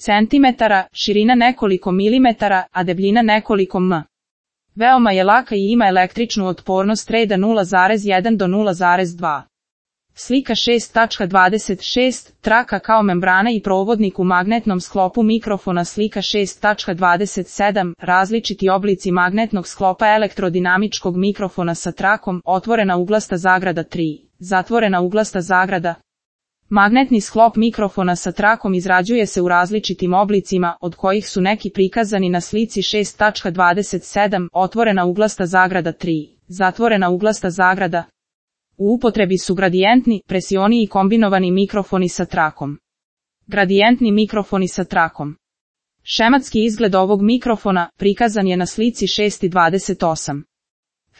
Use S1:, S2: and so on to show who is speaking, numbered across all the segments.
S1: centimetara, širina nekoliko milimetara, a debljina nekoliko m. Veoma je laka i ima električnu otpornost reda 0,1 do 0,2. Slika 6.26, traka kao membrana i provodnik u magnetnom sklopu mikrofona. Slika 6.27, različiti oblici magnetnog sklopa elektrodinamičkog mikrofona sa trakom, otvorena uglasta zagrada 3, zatvorena uglasta zagrada. Magnetni sklop mikrofona sa trakom izrađuje se u različitim oblicima, od kojih su neki prikazani na slici 6.27, otvorena uglasta zagrada 3, zatvorena uglasta zagrada. U upotrebi su gradijentni, presioni i kombinovani mikrofoni sa trakom. Gradijentni mikrofoni sa trakom. Šematski izgled ovog mikrofona prikazan je na slici 6.28.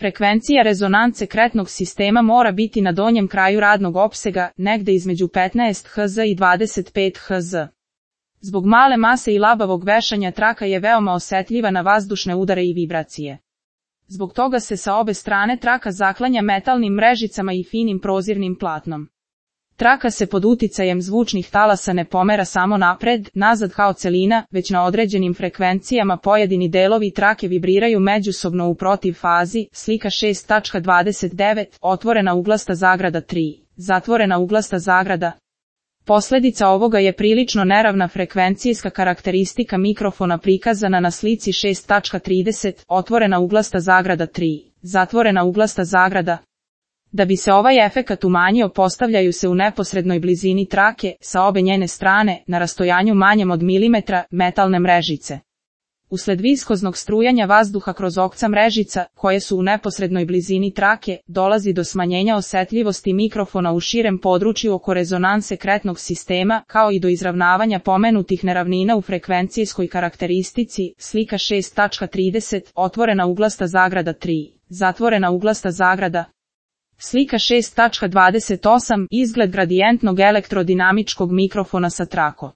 S1: Frekvencija rezonance kretnog sistema mora biti na donjem kraju radnog opsega, negde između 15 Hz i 25 Hz. Zbog male mase i labavog vešanja traka je veoma osetljiva na vazdušne udare i vibracije. Zbog toga se sa obe strane traka zaklanja metalnim mrežicama i finim prozirnim platnom. Traka se pod uticajem zvučnih talasa ne pomera samo napred, nazad kao celina, već na određenim frekvencijama pojedini delovi trake vibriraju međusobno u protiv fazi. Slika 6.29, otvorena uglasta zagrada 3, zatvorena uglasta zagrada. Posledica ovoga je prilično neravna frekvencijska karakteristika mikrofona prikazana na slici 6.30, otvorena uglasta zagrada 3, zatvorena uglasta zagrada. Da bi se ovaj efekat umanjio, postavljaju se u neposrednoj blizini trake, sa obe njene strane, na rastojanju manjem od milimetra, metalne mrežice. Usled viskoznog strujanja vazduha kroz okca mrežica, koje su u neposrednoj blizini trake, dolazi do smanjenja osetljivosti mikrofona u širem području oko rezonanse kretnog sistema, kao i do izravnavanja pomenutih neravnina u frekvencijskoj karakteristici. Slika 6.30, otvorena uglasta zagrada 3, zatvorena uglasta zagrada. Slika 6.28, izgled gradijentnog elektrodinamičkog mikrofona sa trakom.